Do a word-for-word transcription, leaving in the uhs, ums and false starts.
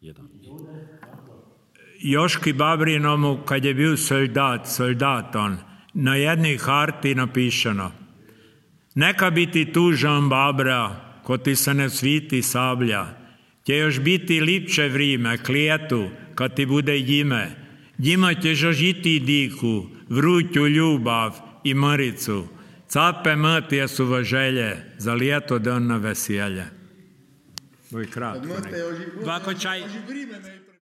jedan. Joški Babrinomu, kad je bil soldat, soldat on, na jednej harti napišeno: neka biti tužan Babra, ko ti se ne sviti sablja, će još biti lipše vrime, klijetu, kad ti bude jime, njima ćeš ožiti diku, vruću ljubav i mricu, cape mrtje su želje, za lijeto dan na veselje. Ovo je kratko. Ovako čaj...